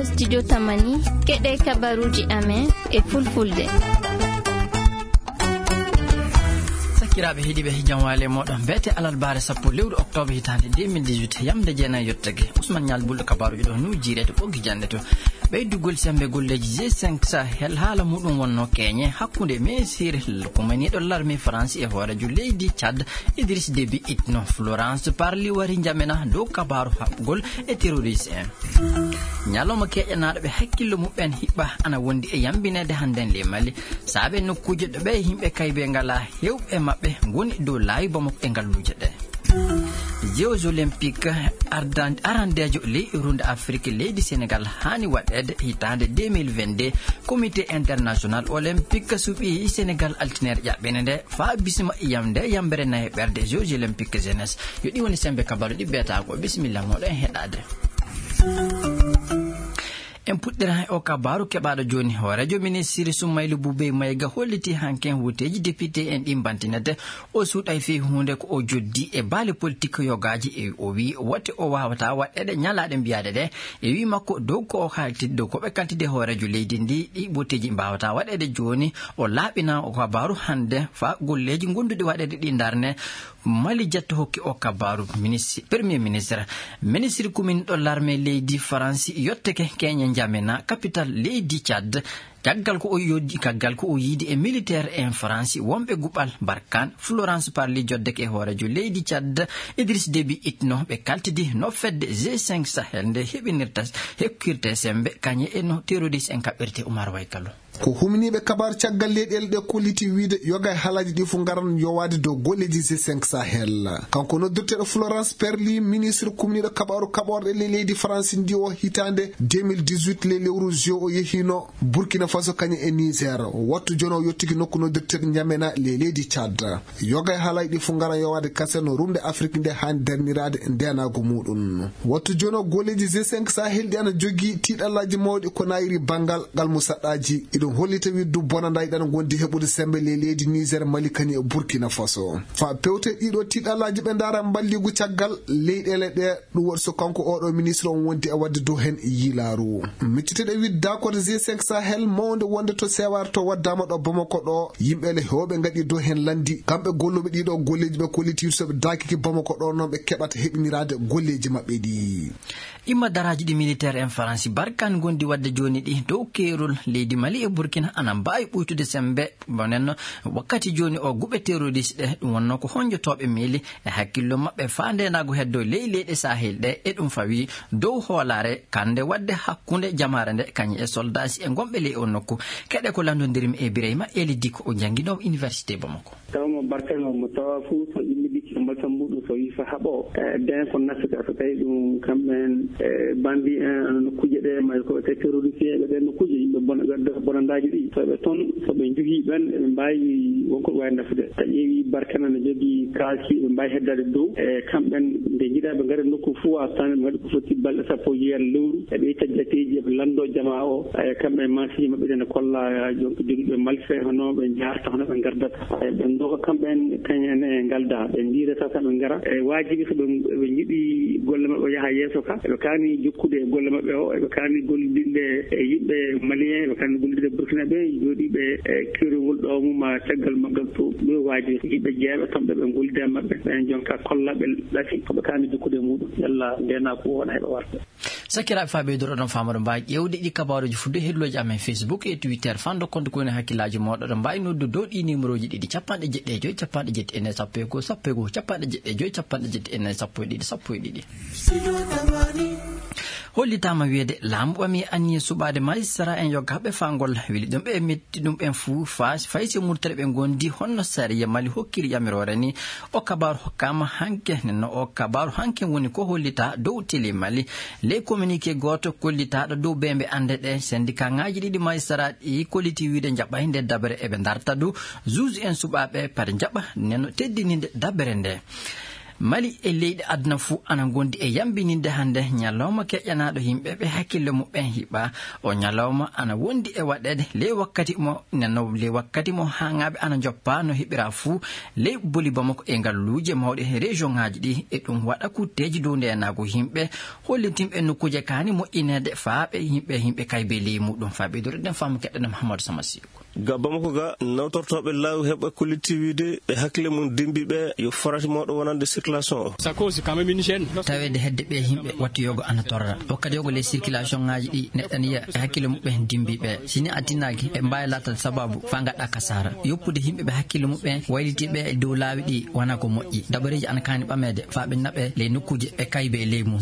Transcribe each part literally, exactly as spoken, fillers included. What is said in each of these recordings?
Studio Tamani, keɗe kabaruuji amen e fulfulde. Sakiraaɓe heɗiiɓe, jam waale mooɗon. Mbete alarbaare sappo lewru oktoobre hitaande deux mille dix-huit, yamde jeenayi yottake. Ousmane Ñaal Bulɗo kabaaruuji ɗo nu jiirete ɓoggi jannde to. Ɓeydugol semmbe golleeji G cinq Sahel, haala muɗum wonno keñe hakkunde ministre kumaniiɗo larme France e hooreejo leydi Tchad, Idriss Déby Itno. Florence Parly wari njamena dow kabaaru haɓugol e terroriste en. Ñalawma keeƴanaaɗo ɓe hakkillo muɓɓen hiɓɓa ana wondi e yambineede hannden ley Mali, saabe nokkuuje ɗo ɓe yimɓe kaybe ngala heewɓe maɓɓe ngoni dow laawi Bamako e ngalluuje ɗe. Jeux Olympiques ardan-, arandeejo ley runde Afrik leydi Sénégal haani waɗeede hitaande deux mille vingt-deux. Comité International Olympique suɓii Sénégal altine ƴaɓɓene nde faa bisma yamde yambere nayi ɓerde Jeux Olympiques Jeunesse. Yo ɗi woni semmbe kabaaru ɗi beetaako. Bisimilla mooɗon e heɗaade. En puɗɗira e o kabaaru keɓaaɗo jooni. Hooreejo ministiri Soumaïla Boubèye Maïga holliti hanken wuteeji député en ɗi mbantinete. O suuɗay fii huunde ko o joddi e baali politik yogaaji. E o wii wote o waawata waɗeede ñalaaɗe mbiyaade ɗe. E wii makko dow ko o kalti-, dow ko ɓe kaltide hooreejo leydi ndi, ɗi wuteeji mbaawata waɗeede jooni. O laaɓina o kabaaru hannde faa golleeji gonduɗi waɗeede ɗi ndarne. Mali Jatto hokki o kabaaru minisi-, Premier Ministre. Ministre kuminɗo larme leydi Faransi yotteke keñe njamena capital leydi Tchad. Caggal ko o yoddi, caggal ko o yiidi e militaire en Faransi wonɓe guɓal Barkhane, Florence Parly joddeke e hooreejo leydi Tchad, Idriss Déby Itno, ɓe kaltidi no fedde G cinq Sahel nde heɓinirta, hekkirte semmbe kañe e no terroriste en kaɓɓirte. Oumar Waykalo. Ko humniiɓe kabaar caggal leyɗeele ɗe kolliti wiyde yoga e haalaaji ɗi fof ngaran yowaade dow golleeji G cinq Sahel. Kanko noddirteeɗo Florence Parly, ministre kumniiɗo kabaaru kaɓorɗe ley leydi Faransi ndi o hitaande deux mille dix-huit ley lewru juin o yehiino Burkina Faso kañum e Niger. Wattu jooni o yottiki nokku noddirteeɗo Njamena ley leydi Tchad. Yoga e haalaaji ɗi fof ngaran yowaade kasen no rumde Afrik nde haani darniraade ndeenaagu muɗum. Wattu jooni o golleeji G cinq Sahel ɗi ana jogii tiiɗallaaji mawɗi ko nayiri banngal ngal musaɗɗaaji. Iɗum hollita wiɗdu bonandaa iɗana ngondi heɓude semmbe ley leydi Niger, Mali, kañum e Burkina Faso. Faa pewte ɗiɗo tiiɗallaaji ɓe ndaara mballigu caggal leyɗeele ɗe, ɗum waɗi so kanko oɗo ministre on wondi e waɗde dow heen yiilaaru. Micciteɗe wiɗde d'accord G cinq Sahel mawnde wonde to Seware to waddaama ɗo Bamako ɗo, yimɓe le heewɓe ngaɗi dow heen lanndi. Kamɓe golluɓe ɗiɗo golleeji ɓe kolliti so ɓe daakiki Bamako ɗo noon ɓe keɓata heɓiniraade golleeji maɓɓe ɗi. Imma daraaji ɗi militaire en Faransi Barkhane ngondi waɗde jooni ɗi dow keerol leydi Mali e Burkina ana mbaawi ɓuytude semmbe. Bonen wakkati jooni o guɓe terroriste ɗe, ɗum wonno ko honjotooɓe miili e hakkillo maɓɓe faa ndeenaagu heddo ley leyɗe Sahel ɗe, e ɗum fawi dow hoolaare kannde waɗde hakkunde jamaare nde kañum e soldaasi e ngonɓe ley o nokku. Keɗe ko lanndondirmi e Birayma Eli Diko o jannginoowo Université Bamako. Tawa mo Barkhane o mo tawa fof so immidi e mbasam muɗum so yii fa haɓo, e, den ko nafata so tawi ɗum kamɓen, e, bandi en, ano nokkuuje ɗe, may ko wiyetee terroriste ɓe ɗen nokkuuje, yimɓe bona, wadde bonandaaji ɗi. So ɓe toon, so ɓe njogii ɓen, ɓe mbaawi wonko ɓe waawi nafude. So a ƴeewi Barkhane ana jogii kaaki, ɓe mbaawi heddaade dow. E, kamɓen nde njiɗaa ɓe ngara nokku fof, a tan ɓe ngaɗi ko foti balɗe sappo e jeetati lewru. E ɓe itta jateeji, eɓe lanndoo jamaa o. E, kamɓe maasiiji maɓɓe ɗen kolla, donc, jogiiɓe malfait, hono ɓe njaarta, hono ɓe ngardata. E, ɓe ndooka kamɓe en, kañum en e ngalda. Ɓe ndiirata tan ɓe ngara. E, waajibi so ɓe, ɓe njiɗi golle maɓɓe o yaha yeeso ka, eɓe kaani jokkude e golle maɓɓe o, eɓe kaani gollidinde e yimɓe malien, eɓe kaani gollidinde burkinaɓe, jooɗiiɓe e keerol ngol ɗo mum, ma caggal maggal to, ɗo waajibi. Yimɓe jeeɓe toon ɓe, ɓe ngollida e maɓɓe, ɓen jonka kolla ɓe ɗafi ko ɓe kaani jokkude e muɗum. Yalla ndeenaagu o wona heɓa warde. Sakiraaɓe, faa ɓeydoɗon faamorde mbaa ƴeewde ɗi kabaaruuji fudde heɗlooji amen Facebook e Twitter, fando compte ko woni hakkillaaji mooɗon. Oɗon mbaawi noddu dow ɗi numéroji ɗiɗi, capanɗe jeɗɗi e joy, capanɗe jeɗɗi e nayi, sappo e goo, sappo e goo, capanɗe jeɗɗi e joy, capanɗe jeɗɗi e nayi, sappo e ɗiɗi, sappo e ɗiɗi. Hollitaama wiyeede laamu ɓami anniye suɓaade majistara en yoggaaɓe fangol weli ɗum ɓe metti ɗum ɓen fuu faa fay si murtere ɓe ngondi honno sariya Mali hokkiri yamiroore ni. O kabaaru hokkaama hanke, nenno o kabaaru hanke woni ko hollitaa dow télé Mali. Ley communiqué gooto kollitaaɗo dow beembe annde ɗe, syndicat ŋaaji ɗiɗi majistara ɗi kolliti wiide njaɓay nde dabere eɓe ndarta du juge en suɓaaɓe pare njaɓa nenno teddininde dabere nde. Mali e leyɗe aduna fuu ana ngondi e yambininde hannde ñalawma keƴanaaɗo yimɓe ɓe hakkille muɓɓen hiɓɓa. O ñalawma ana wondi e waɗeede ley wakkati mo, nano ley wakkati mo haaŋaaɓe ana njoppa no heɓira fuu ley boli Bamako e ngalluuje mawɗe e région ŋaaji ɗi. E ɗum waɗa kutteeji dow ndeenaagu yimɓe, hollitinɓe nokkuuje kaani moƴƴineede faa ɓe yimɓe, yimɓe kaybe ley muɗum. Faa ɓeydude ɗen faamu keɗɗen Mahamadou Samasiw. Ga Bamako ga, nawtortooɓe laawi heɓɓe kolliti wiide ɓe hakkille mum dimbi ɓe yo farati mawɗo wonande circulation o. Ça cause quand même une gêne. Taweede hedde ɓe yimɓe wattu yogo ana torra. Wakkati yogo les circulation ŋaaji ɗi neɗɗaniya e hakkille muɓɓen dimbi ɓe. Sini a tinnaaki, ɓe mbaawi laatade sababu faa ngaɗa kasaara. Yoppude yimɓe ɓe hakkille muɓɓen wayliti ɓe e dow laawi ɗi wona ko moƴƴi. Dabareeji ana kaani ɓameede faa ɓe naɓe ley nokkuuje ɓe kaybe ley mum.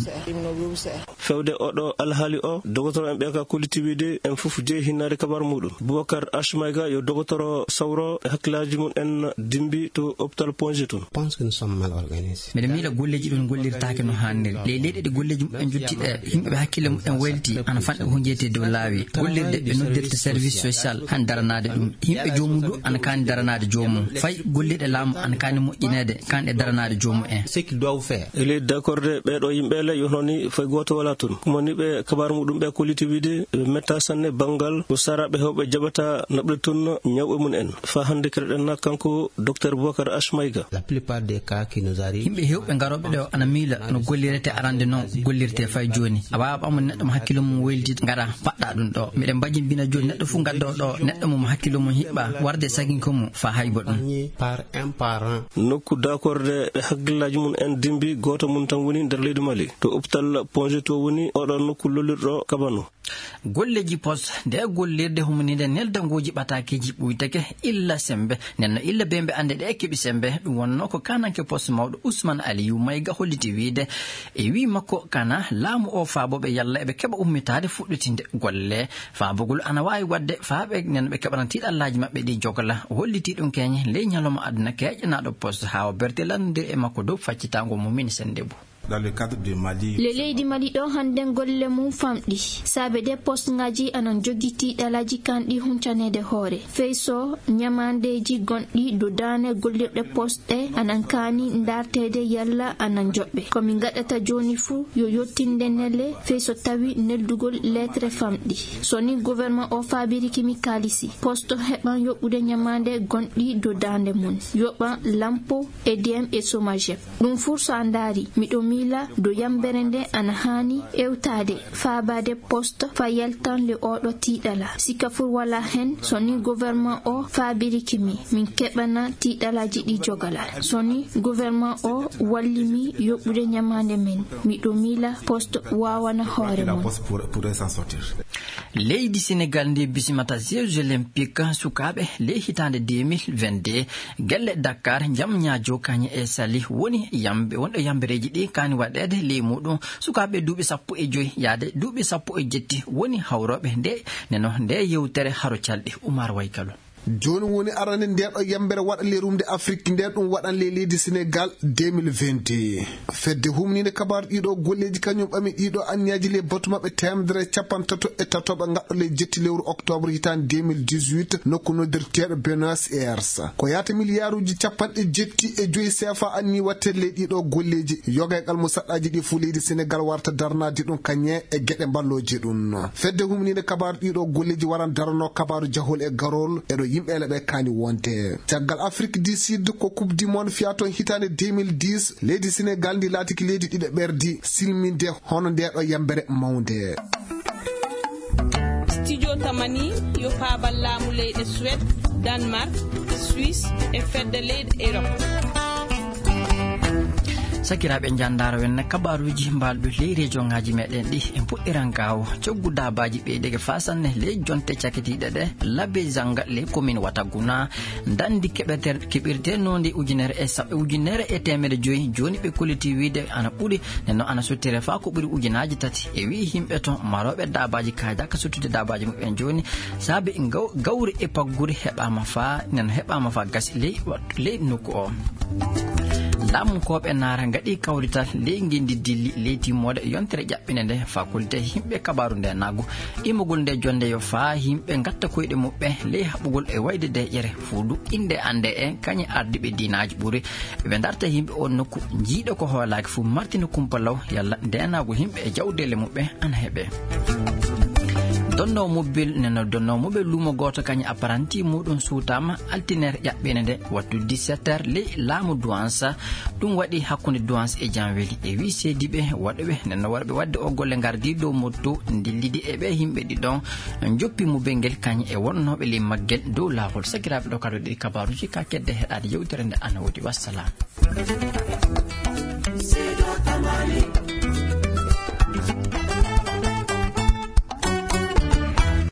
Fewde oɗo alhaali o, dogotoro en ɓe ka kolliti wiide en fof jeyi hinnaade kabar muɗum. Boubacar H Maïga yo dogotoro sawro e hakkillaaji mum en dimbi to hôpital Ponge tun. Pense que nous sommes mal organisés. Miɗo miila golleeji ɗum gollirtaake no haaniri. Ley leyɗe ɗe golleeji muɓɓen jotti ɗe, yimɓe ɓe hakkille muɓɓen wayliti ana fanɗi ko jeyti dow laawi. Gollirde ɓe noddirta service social han daranaade ɗum. Yimɓe joomum du ana kaani daranaade joomum. Fay gollirɗe laamu ana kaani moƴƴineede, kaani e daranaade joomum en. Ce qu'ils doivent faire. E ley dakorde ɓeeɗo yimɓe le yo hono ni fay gooto wala tun. Kuma ni ɓe kabar muɗum ɓe kolliti wiide ɓe metta sanne banngal ko saraɓe hewɓe jaɓata naɓde tun ñawɓe mum en. Faa hannde keɗoɗen na kanko Docteur Boubacar H Maïga. La plupart des cas qui nous arrivent. Yimɓe hewɓe ngarooɓe ɗo ana miila no gollirete arande noon gollirte fay jooni. A waawa ɓamude neɗɗo mo hakkille mum woyliti ngara paɗɗa ɗum ɗo. Miɗen mbajimbina jooni neɗɗo fof ngaddo ɗo neɗɗo mum hakkille mum hiɓɓa warde saginko mum faa haybo ɗum. Par un parent. Nokku dakorde ɓe hakkillaaji mum en dimbi gooto mum tan woni nder leydi Mali. To hôpital Ponge to woni oɗo nokku lollirɗo kabano. Golleeji poste nde gollirde humninde neldangooji ɓataakeeji ɓuyteke illa sembe. Nden no illa bee mbe annde ɗe keɓi sembe. Ɗum wonnoo ko kaananke poste mawɗo Ousmane Aliou Maïga holliti wiide e wii makko kana laamu o faabooɓe yalla eɓe keɓa ummitaade fuɗɗitinde golle. Faabugol ana waawi waɗde faa ɓe nen ɓe keɓana tiiɗallaaji maɓɓe ɗi jogla. O hollitii ɗum keñe ley ñalawma aduna keƴanaaɗo poste haa o berti lanndondir e makko dow faccitaango mum min sennde bu. Dans le cadre du Mali. Le leydi Mali ɗo hannden golle mum famɗi. Saabe de poste ngaji anan jogi tiiɗalaaji kanɗi huncaneede hoore. Fey so ñamaandeeji gonɗi dow daane gollirɗe poste ɗe anan kaani ndaarteede yalla anan joɓɓe. Ko min ngaɗata jooni fuu yo yottinde nele fey so tawi neldugol lettre famɗi. So ni gouvernement o faabiriki mi kaalisi, poste heɓan yoɓude ñamaande gonɗi dow daande mum. Yoɓan lampo, E D M e Somagep. Ɗum fuu so a ndaari, miɗo miila do yambere nde ana haani ewtaade, faabaade poste fa yaltan le oɗo tiiɗala. Sika fuu wala hen, so ni gouvernement o faabiriki mi, min keɓana tiiɗalaaji ɗi jogala. So ni gouvernement o walli mi yoɓude ñamaande men, miɗo miila poste waawana hoore mum. Leydi Senegal ndi bisimata Jeux Olympiques sukaaɓe ley hitaande deux mille vingt-deux, gelle Dakar, Jam Ñaajo, Kañe e Sali woni yambe, wonɗo yambereeji ɗi kaani waɗeede ley muɗum sukaaɓe duuɓi sappo e joy yaade duuɓi sappo e jetti woni hawrooɓe nde, neno nde yewtere haro calɗi. Umar Waykalo. Jooni woni arande nde ɗo yambere waɗa ley rumde Afrik nde ɗum waɗan ley leydi Senegal deux mille vingt et un. Fedde humniinde kabaaru ɗiɗo golleeji kañum ɓami ɗiɗo anniyaaji ley batu maɓɓe teemedere e capanɗe tato e tatoɓe ngaɗɗo ley jetti lewru octobre hitaande deux mille dix-huit nokku noddirteeɗo Buenos Aires. Ko yaata miliyaaruuji capanɗe jetti e joyi C F A anni waɗteede ley ɗiɗo golleeji. Yogaygal mo saɗɗaaji ɗi fuu leydi Senegal warta darnaade ɗum kañe e geɗe mballooje ɗum. Fedde humniinde kabaaru ɗiɗo golleeji waran darano kabaaru jahol e garol e ɗo yimɓe ele ɓe kaani wonde. Caggal Afrique du Sud ko Coupe du Monde fiya toon hitaande deux mille dix, leydi Senegal ndi laatiki leydi ɗiɗo ɓerdi silminde hono nde ɗo yambere mawnde. Studio Tamani yo faabal laamu leyɗe Suède, Danemark, Suisse e fedde leyɗe Europe. Sakiraaɓe, njandaaro wen kabaaruuji mbaalɗo ley rejoŋaaji meɗen ɗi en puɗɗiran gaawo. Coggu daabaaji ɓeydeke faa sanne ley jonte cakitiiɗe ɗe, Labe Zanga ley commune Wataguna. Ndanndi keɓeter-, keɓirteenoondi ujunere e sa-, ujunere e teemedde joyi, jooni ɓe kolliti wiide ana ɓuri, nden noon ana sottire faa ko ɓuri ujunaaji tati. E wi'i yimɓe toon marooɓe daabaaji kaajaka sottude daabaaji muɓɓen jooni, saabe gaw-, gawri e pagguri heɓaama faa, nden heɓaama faa gasi ley wa-, ley nokku o. Laamunkooɓe naara ngaɗi kawrital ley ngenndi dilli ley timmoode yontere ƴaɓɓinde nde fakulte yimɓe kabaaru nde naagu. Imogol nde jonnde yo faa yimɓe ngatta koyɗe muɓɓe ley haɓugol e wayde deeƴere fuudu innde annde e kañe ardiiɓe diinaaji ɓuri. Ɓe ndarta yimɓe on nokku, njiiɗo ko hoolaaki fuu martina kumpalaw yalla ndeenaagu yimɓe e jawdeele muɓɓe ana heɓe. Donno mobile neno donno mobile lumo gooto kañum apparanti muɗum suutama altiner ƴaɓɓene nde wattu dix-sept heures ley laamu duwansa. Ɗum waɗi hakkunde duwansa e janweli e wi seediɓe waɗuɓe neno warɓe wadde o golle ngardi dow motto ndillidi e ɓe yimɓe ɗiɗon joppi mobile ngel kañum e wonnooɓe ley maggel dow laawol. Sakiraaɓe, ɗo kadi ɗi kabaaruji ka kedde heɗaade yewtere nde ana woodi. Wassalam.